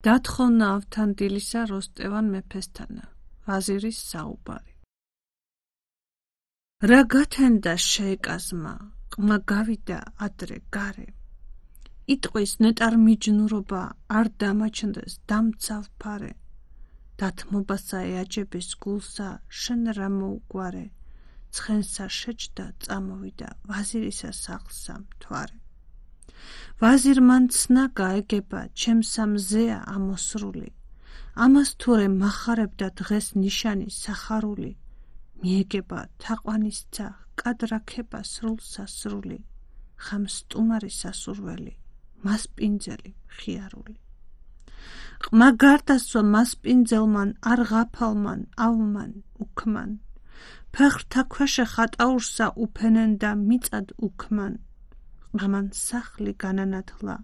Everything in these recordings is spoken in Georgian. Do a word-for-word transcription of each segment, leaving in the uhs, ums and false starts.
დათხოვნა ავთანდილისა როსტევან მეფესთანა, ვაზირის საუბარი. რა გათენდა შეეკაზმა, ყმა გავიდა ადრე გარე. იტყვის ნეტარ მიჯნურობა არ დამაჩნდეს დამცავ ფარე. დათმობასა ეაჯების გულსა შენ რა მოუგვარე. ცხენსა შეჯდა წამოვიდა ვაზირისა სახლსა მთვარე. ვაზირმან ცნა გაეგება ჩემსა მზეა ამოსრული. ამას თურე მახარებდა დღეს ნიშანი სახარული. მიეგება თაყვანისცა კადრაქება სრულსა სრული. ხამ სტუმარი სასურველი მასპინძელი მხიარული. ყმა გარდასვა მასპინძელმან არ ღაფალმან ავმან უქმან. ფეხრთა ქვეშე ხატაურსა უფენენ და მიწად უქმან. ყმამან სახლი განანათლა,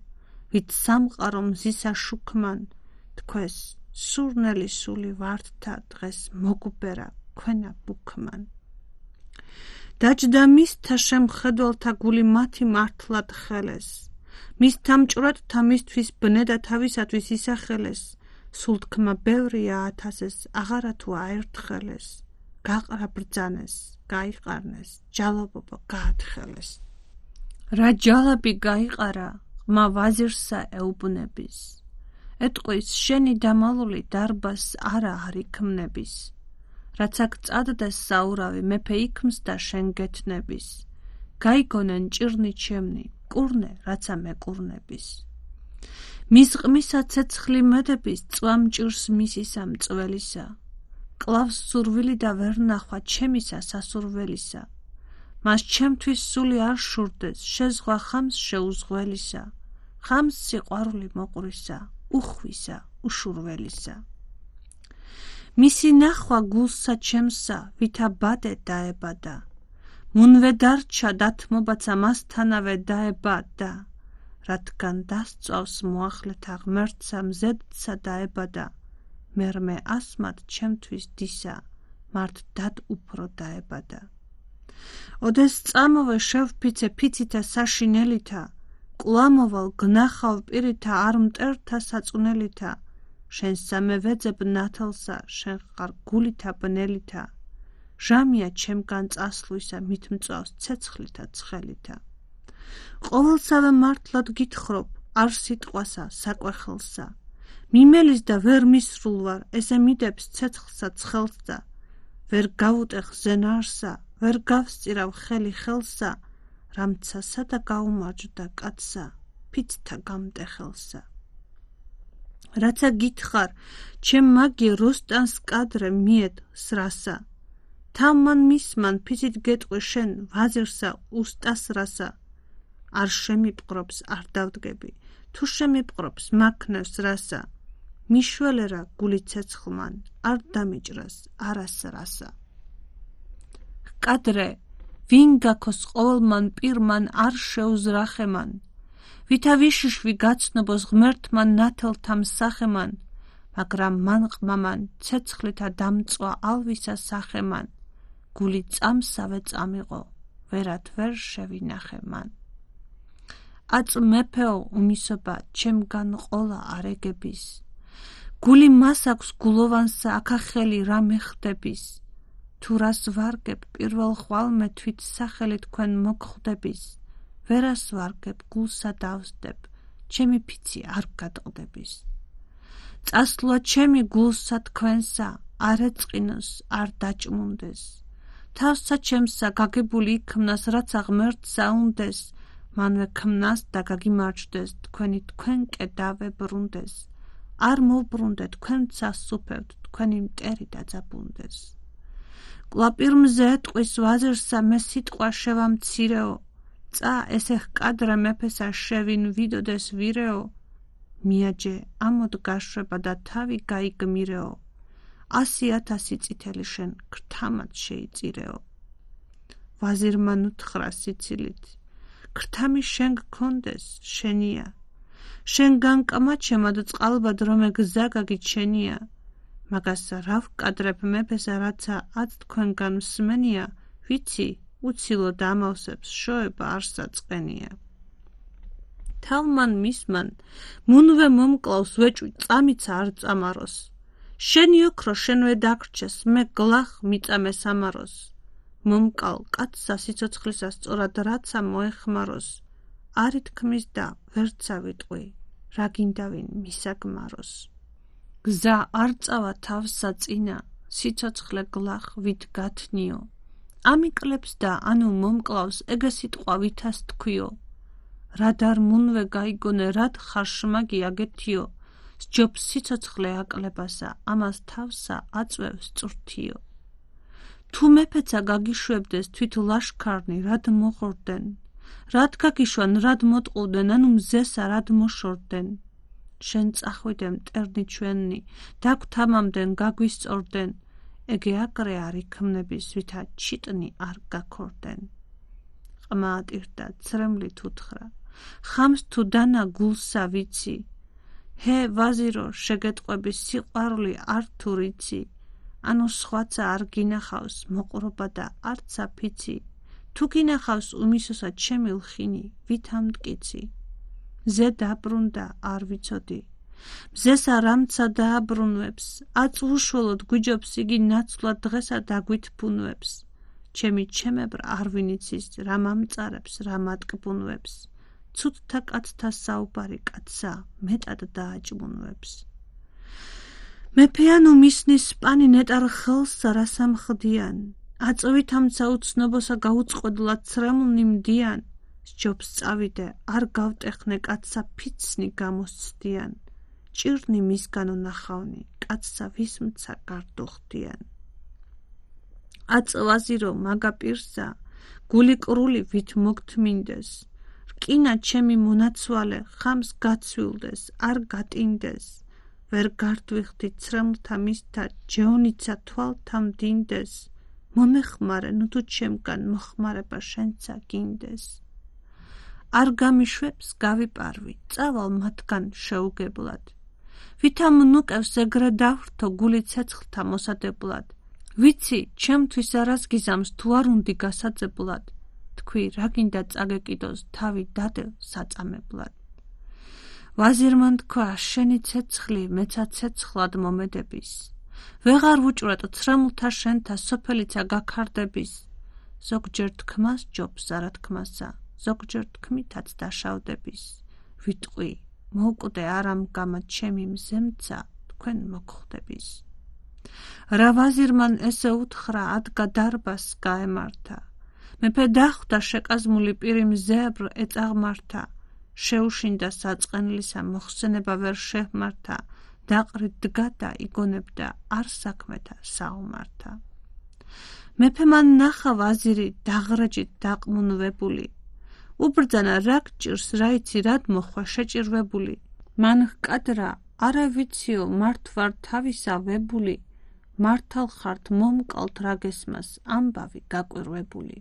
ვით სამყარო მზისა შუქმან. თქოს სურნელი სული ვარდთა დღეს მოგბერა ქვენა ბუქმან. დაჯდა მისთა შემხედველთა გული მათი მართლად ხელეს. მისთა მჭვრეთთა მისთვის ბნე და თავისათვის ისახელეს. სულ თქმა ბევრია ათასეს, აღარა თუ აერთხელეს. გაყრა ბრძანეს, გაიყარნეს, ჯალობობა გაათხელეს. რა ჯალაბი გაიყარა, ყმა ვაზირსა ეუბნების. ეტყვის შენი დამალული დარბას არა არ იქმნების. რაც აქ წადდეს საურავი მეფე იქმს და შენ გეთნების. გაიგონენ ჭირნი ჩემნი, კურნე რაცა მეკურნების. მის ყმისა ცეცხლი მედების წვამ ჭირს მისისა მწველისა. კლავს სურვილი და ვერ ნახვა ჩემისა სასურველისა. მას ჩემთვის სული არ შურდეს, შეზღვა ხამს შეუზღველისა. ხამს სიყვარული მოყვრისა, უხვისა, უშურველისა. მისი ნახვა გულსა ჩემსა, ვითა ბადე დაებადა. მუნვე დარჩა დათმობაცა მასთანავე დაებადა. რადგან დასწვავს მოახლეთა ღმერთსა მზედსა დაებადა. მერმე ასმად ჩემთვის დისა, მართ დად უფრო დაებადა. ოდეს წამოვე შევფიცე ფიცითა საშინელითა. კვლამოვალ გნახავ პირითა არ მტერთა საწუნელითა. შენ სამევეძებ ნათელსა, შენ ხარ გულითა ბნელითა. ჟამია ჩემგან წასვლისა, მით მწვავს ცეცხლითა ცხელითა. ყოველსავე მართლად გითხრობ, არ სიტყვასა, საკვეხელსა. მიმელის და ვერ მისრულ ვარ, ესე მიდებს ცეცხლსა ცხელსა. ვერ გავუტეხ ზენარსა, ვერ გავსწირავ ხელი ხელსა. რამცასა და გაუმარჯვდა კაცსა, ფიცთა გამტეხელსა. რაცა გითხარ, ჩემ მაგი როსტანს კადრე მიედ სრასა. თავმან მისმან ფიცით გეტყვი შენ ვაზირსა უსტას რასა. არ შემიპყრობს არ დავდგები, თუ შემიპყრობს მაქნევს რასა. მიშველერა გული ცეცხლმან, არ დამიჭრას არას რასა. კადრე, ვინ გაქოს ყოველმან პირმან არ შეუზრახემან. ვითა ვიშიშვი გაცნობოს ღმერთმან ნათელთა მსახემან. მაგრამ მან ყმამან ცეცხლითა დამწვა ალვისა სახემან. გული წამსავე წამიყო, ვერად ვერ შევინახე მან. აწ მეფეო უმისობა ჩემგან ყოლა არეგების. გული მას აქვს გულოვანსა აქახელი რა მეხდების. თუ რას ვარგებ პირველ ხვალმე თვით სახელი თქვენ მოგხვდების. ვერას ვარგებ გულსა დავსდებ, ჩემი ფიცი არ გადყდების. წასვლა ჩემი გულსა თქვენსა, არ ეწყინოს, არ დაჭმუნდეს. თავსა ჩემსა გაგებული იქმნას, რაც ღმერთსა უნდეს. მანვე ქმნას და გაგიმარჯვდეს, თქვენი თქვენკე დავებრუნდეს. არ მოვბრუნდე თქვენცა სუფევთ, თქვენი მტერი დაძაბუნდეს. კვლაპირმზე ეტყვის ვაზირსა მე სიტყვა შევამცირეო. წა ესე ჰკადრე მეფესა შევინ ვიდოდეს ვირეო. მიაჯე ამოდ გაშვება და თავი გაიგმირეო. ასი ათასი წითელი შენ ქრთამად შეიწირეო. ვაზირმა ნუთხრა სიცილით. ქრთამი შენ გქონდეს, შენია. შენ განკამაჩემად წყალბად რომე გზა გაგიჩენია. მაგას რა ვკადრებ მეფესა, რაცა აც თქვენგან მსმენია, ვიცი, უცილო დამავსებს შოება არ საწყენია. თავმან მისმან მუნვე მომკლავს ვეჭვი წამიცა არ წამაროს შენი ოქრო შენვე დაგრჩეს მე გლახ მიწამე სამაროს მომკალ კაცსა სიცოცხლისა სწორად რაცა მოეხმაროს არი თქმის და ვერცა ვიტყვი რა გინდავინ მისაგმაროს გზა არ წავა თავსა წინა სიცოცხლე გლახ ვით გათნიო ამიკლებს და ანუ მომკლავს ეგე სიტყვა ვითას თქვიო რად არ მუნვე გაიგონე რად ხარ შმაგი აგეთიო სჯობს სიცოცხლე აკლებასა ამას თავსა აწვევს წვრთიო თუ მეფეცა გაგიშვებდეს თვით ლაშქარნი რად მოხორდნენ რად გაგიშვან რად მოტყუდნენ ანუ მზესა რად მოშორდნენ შენ წახვიდე მტერნი ჩვენი დაგვთამამდნენ გაგვისწორდნენ ეგე აკრე არ იქმნების ვითა ჩიტნი არ გაქორდნენ ყმა ატირდა ცრემლით უთხრა ხამს თუ დანა გულსა ვიცი ჰე ვაზირო შეგეტყვების სიყვარული არ თუ რიცი ანუ სხვაცა არ გინახავს მოყრობა და არცა ფიცი თუ გინახავს უმისოსა ჩემი ლხინი ვითამ მტკიცი მზე დაბრუნდა არ ვიცოდი მზესა რამცა დააბრუნვებს აწუშველოდ გვიჯობს იგი ნაცვლად დღესა დაგვითფუნვებს ჩემი ჩემებრ არ ვინიცის რა მამწარებს რა მატკბუნვებს ცუდთა კაცთა საუბარი კაცსა მეტად დააჭმუნვებს მეფეანო მისნის სპანი ნეტარ ხელსა რა სამხდიან აწვით ამცა უცნობოსა გაუწყვედლად ცრემლნი მდიან სჯობს წავიდე არ გავტეხნე კაცსა ფიცნი გამოსცდიან ჭირნი მისგანო ნახავნი კაცსა ვისმცა გარდუხდიან აწვაზირო მაგა პირსა გული კრული ვით მოგთმინდეს რკინა ჩემი მონაცვალე ხამს გაცვილდეს არ გატინდეს ვერ გართვიხდი ცრემლთა მისთა ჯეონიცა თვალთა მდინდეს მომეხმარე ნუ თუ ჩემგან მოხმარება შენცა გინდეს არ გამიშვებს გავიპარვი წავალ მათგან შეუგებლად ვითამ ნუკევს ეგრე დავრთო გული ცეცხლთა მოსადებლად ვიცი ჩემთვის არას გიზამს თუ არ უნდი გასაძებლად თქვი რა გინდა წაგეკიდოს თავი დადევ საწამებლად ვაზირმა თქვა შენი ცეცხლი მეცა ცეცხლად მომედების ვეღარ ვუჭვრეტ ცრემლთა შენთა სოფელიცა გაქარდების ზოგჯერ თქმას ჯობს არა თქმასა ზოგჯერ თქმითაც დაშავდების ვიტყვი მოუკვდე არამგამა ჩემი მზემცა თქვენ მოგხვდების რა ვაზირმან ესე უთხრა ადგა დარბას გაემართა მეფე დახვდა შეკაზმული პირი მზებრ ეწაღმართა შეუშინდა საწყენლისა მოხსენება ვერ შეჰმართა დაყრით დგა და იგონებდა არ საქმეთა საომართა მეფე მან ნახა ვაზირი დაღრეჯით დაყმუნვებული უბრძანა რა გჭირს რა იცი რად მოხვა შეჭირვებული მან ჰკადრა არა ვიციო მართ ვარ თავისა ვებული მართალ ხართ მომკალთ რა გესმას ამბავი გაკვირვებული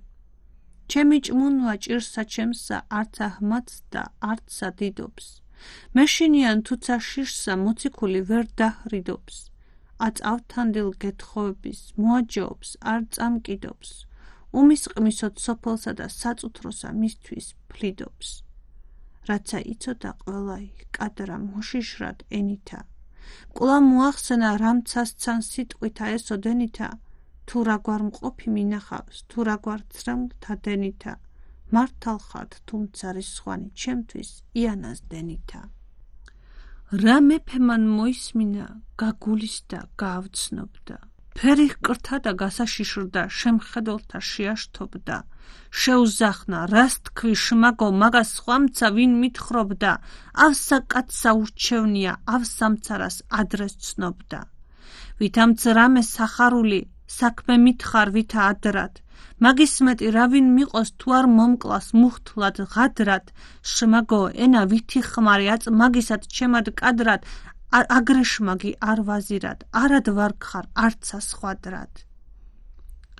ჩემი ჭმუნვა ჭირსა ჩემსა არც აჰმადს და არცსა დიდობს მეშინიან თუცა შიშსა მოციქული ვერ დაჰრიდობს აწავთანდილ გეთხოვების მოაჯაობს არ წამკიდობს უმისყმისოთ სოფელსა და საწუთროსა მისთვის ფლიდობს რაცა იცოდა ყველაი კადრა მოშიშრად ენითა კულა მოახსენა რამცასცან სიტყვითა ესოდენითა თუ რაგვარ მყოფი მინახავს თუ რაგვარ ცრემლთა დენითა მართალ ხართ თუმცა რისხვანი ჩემთვის იანას დენითა რა მეფე მან მოისმინა გაგულისდა გაავცნობდა ფერი ჰკრთა და გასაშიშრდა შემხედველთა შეაშთობდა შეუზახნა რას თქვი შმაგო მაგას ხვამცა ვინ მითხრობდა ავსა კაცსა ურჩევნია ავსამცარას ადრეს ცნობდა ვითამც რამე სახარული საქმე მითხარ ვითა ადრად მაგის მეტი რა ვინ მიყოს თუ არ მომკლას მუხთლად ღადრად შმაგო ენა ვითი ხმარი აწ მაგისად ჩემად კადრად აგრე შმაგი არ ვაზირად არად ვარ გხარ არცა სხვადრად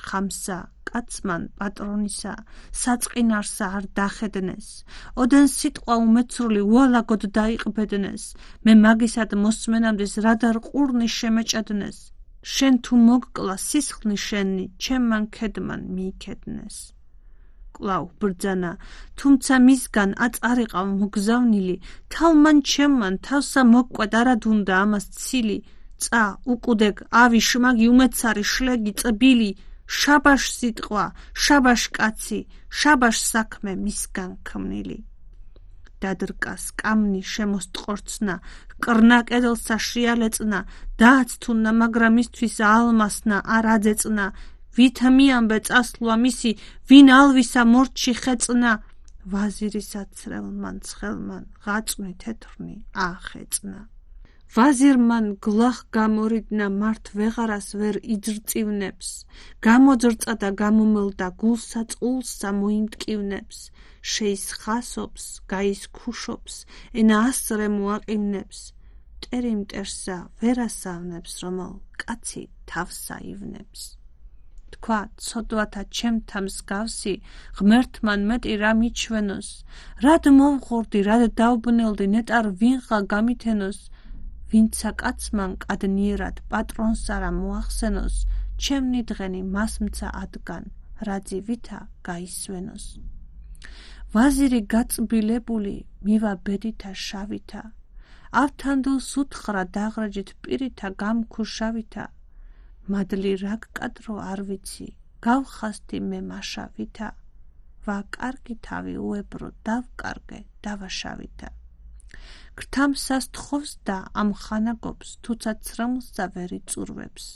ხამსა კაცმან პატრონისა საწყინარსა არ დახედნეს ოდენ სიტყვა უმეცრული უალაგოდ დაიყბედნეს მე მაგისად მოსმენამდეს რადარ ყურნი შემეჭედნეს შენ თუ მოგკლა სისხლი შენი ჩემმან ქედმან მიიქედნეს კვლავ ბრძანა, თუმცა მისგან აწარიყავ მოგზავნილი, თავმან ჩემმან თავსა მოგკვედ არად უნდა ამას ცილი, წა უკუდეგ ავი შმაგი უმეცარი შლეგი წბილი, შაბაშ სიტყვა, შაბაშ კაცი, შაბაშ საქმე მისგან ქმნილი. დადრკა სკამნი შემოსტყორცნა, კრნა კედელსა შიალეწნა, დააცთუნა, მაგრამ მისთვის ალმასნა არ აძეწნა, ვითა მიამბე წასვლა მისი, ვინ ალვისა მორჩი ხეწნა, ვაზირისა ცრელმან ცხელმან, ღაწვნი თეთრნი აახეწნა. ვაზირმან გლახ გამორიდნა, მართ ვეღარას ვერ იძრწივნებს, გამოძრწა და გამომელდა, გულსა წყულსა მოიმტკივნებს, შეისხასობს, გაისქუშობს, ენა ასრე მოაყივნებს, მტერი მტერსა ვერ ასავნებს, რომელ კაცი თავსა ივნებს. თქვა ცოდვათა ჩემთა მსგავსი, ღმერთმან მეტი რა მიჩვენოს, რად მოვღურდი, რად დავბნელდი, ნეტარ ვინღა გამითენოს, ვინცა კაცმა მკადნიერად პატრონს არა მოახსენოს, ჩემნი დღენი მასმცა ადგან, რაძი ვითა გაისვენოს. ვაზირი გაწბილებული, მივა ბედითა შავითა, ავთანდილს უთხრა დაღრაჯით პირითა გამქუშავითა, მადლი რა გკადრო არ ვიცი, გავხასდი მე მაშავითა, ვა კარგი თავი უებრო დავკარგე დავაშავითა. გრთამსას თხოვს და ამხანაგობს, თუცა ცრემლსა ვერ იწურვებს,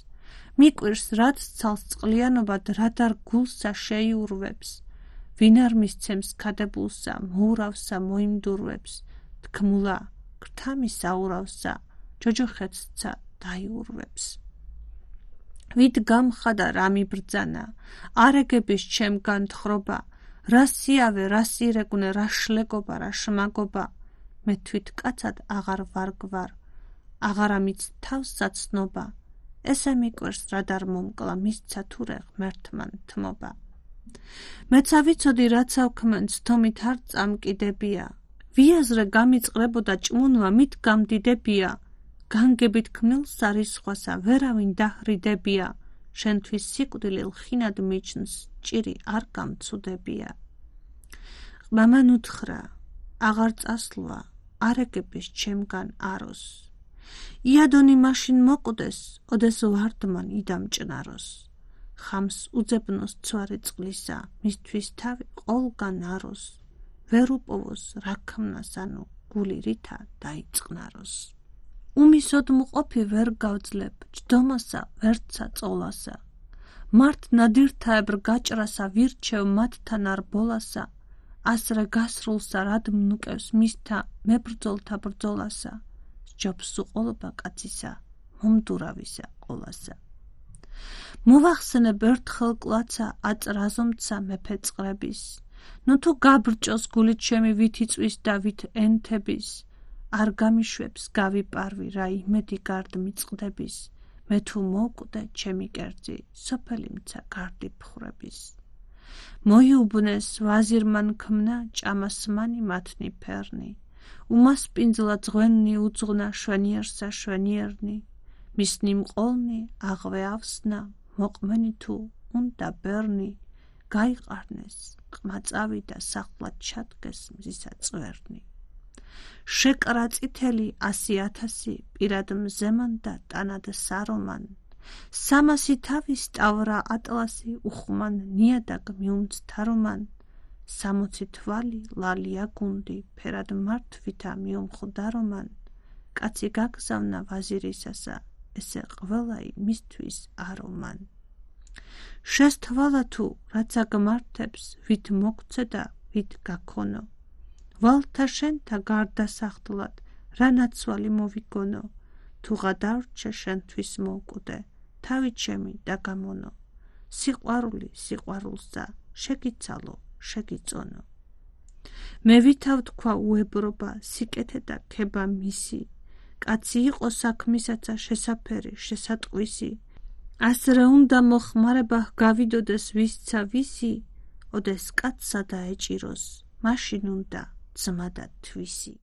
მიკვირს რაც ცალს წყლიანობად, რადარ გულსა შეიურვებს, ვინ არ მისცემს ქადებულსა, მოურავსა მოიმდურვებს, თქმულა გრთამისა ურავსა, ჯოჯოხეთსა დაიურვებს. ვით გამხადა რა მიბრძანა, არეგების ჩემგან თხრობა, რა სიავე, რა სირეგუნე, რა შლეგობა, რა შმაგობა, მე თვით კაცად აღარ ვარგვარ, აღარა მიც თავსა ცნობა, ესე მიკვირს რადარ მომკლა, მისცა თურე ღმერთმან თმობა. მეცა ვიცოდი რაც ავქმენს, თომით არ წამკიდებია, ვიაზრე გამიწყრებოდა ჭმუნვა, მით გამდიდებია, განგებით ქმნილს არისხვასა, ვერავინ დაჰრიდებია, შენთვის სიკვდილილ ხინად მიჩნს, ჭირი არ გამცუდებია. მამან უთხრა, აღარ წასვლა, არეგების ჩემგან აროს, იადონი მაშინ მოკვდეს, ოდეს ვარდმან იდამჭნაროს, ხამს უძებნოს ცვარი წყლისა, მისთვის თავი ყოლგან აროს, ვერ უპოვოს რა ქმნას, ანუ გული ρίთა დაიწყნაროს. უმისოდ მყოფი ვერ გავძლებ, ჯდომასა ვერცა წოლასა, მართ ნადირთაებრ გაჭრასა, ვირჩევ მათთან არ ბოლასა, ასრე გასრულსა რად მნუკევს მისთა მებრძოლთა ბრძოლასა, სჯობს უყოლობა კაცისა, მომდურავისა ყოლასა. მოვახსენებ ერთხელ კლაცა, აწრაზომცა მეფე წყრების, ნუ თუ გაბრჭოს გული ჩემი ვით იწვის და ვით ენთების, არ გამიშვებს გავიპარვი რა იმედი გარდ მიწყდების, მე თუ მოვკვდე ჩემი კერძი, სოფელი მცა გარდი ფხრების. მოიუბნეს ვაზირმან ქმნა, ჭამასმანი მათნი ფერნი, უმასპინძლა ძღვენნი უძღვნა, შვენიერსა შვენიერნი, მისნი მყოლნი აღვე ავსნა, მოყმენი თუ უნდა ბერნი, გაიყარნეს ყმა წავიდა, სახლად ჩადგეს მზისა წვერნი. შეკრა წითელი ასი ათასი, პირად მზემან და ტანად სარომან, სამასი თავი სტავრა ატლასი, უხმან ნიადაგ მიუმცთარომან, სამოცი თვალი ლალია გუნდი, ფერად მართვითა მიუმხვდარომან, კაცი გაგზავნა ვაზირისასა, ესე ყველაი მისთვის არომან. შესთვალა თუ რაც აგმართებს, ვით მოგცე და ვით გაქონო, ვალთა შენთა გარდასახდლად, რა ნაცვალი მოვიგონო, თუ გადავრჩე შენთვის მოვკვდე, თავი ჩემი და გამონო, სიყვარული სიყვარულსა, შეგიცალო, შეგიწონო. მე ვითავ თქვა უებრობა, სიკეთე და ქება მისი, კაცი იყო საქმისაცა შესაფერი, შესატყვისი, ასრე უნდა მოხმარება გავიდოდეს ვისცა ვისი, ოდეს კაცსა დაეჭიროს, მაშინ უნდა ძმა და თვისი.